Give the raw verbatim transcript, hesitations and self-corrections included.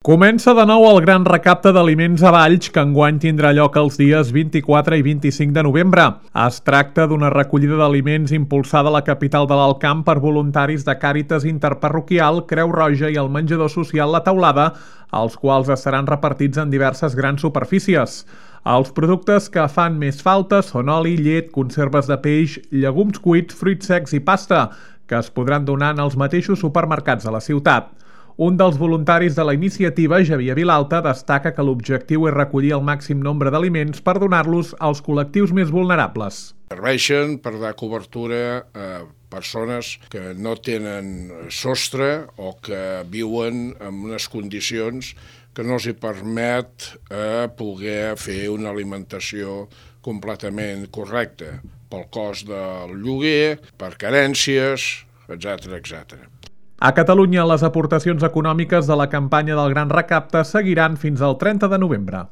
Comença de nou el gran recapte d'aliments a Valls, que enguany tindrà lloc els dies vint-i-quatre i vint-i-cinc de novembre. Es tracta d'una recollida d'aliments impulsada a la capital de l'Alt Camp per voluntaris de Càritas Interparroquial, Creu Roja i el menjador social La Teulada, els quals estaran repartits en diverses grans superfícies. Els productes que fan més falta són oli, llet, conserves de peix, llegums cuits, fruits secs i pasta, que es podran donar en els mateixos supermercats de la ciutat. Un dels voluntaris de la iniciativa, Javier Vilalta, destaca que l'objectiu és recollir el màxim nombre d'aliments per donar-los als col·lectius més vulnerables. Serveixen per dar cobertura a persones que no tenen sostre o que viuen en unes condicions que no els hi permet eh, poder fer una alimentació completament correcta pel cost del lloguer, per carències, etcètera, etcètera. A Catalunya, les aportacions econòmiques de la campanya del Gran Recapte seguiran fins al trenta de novembre.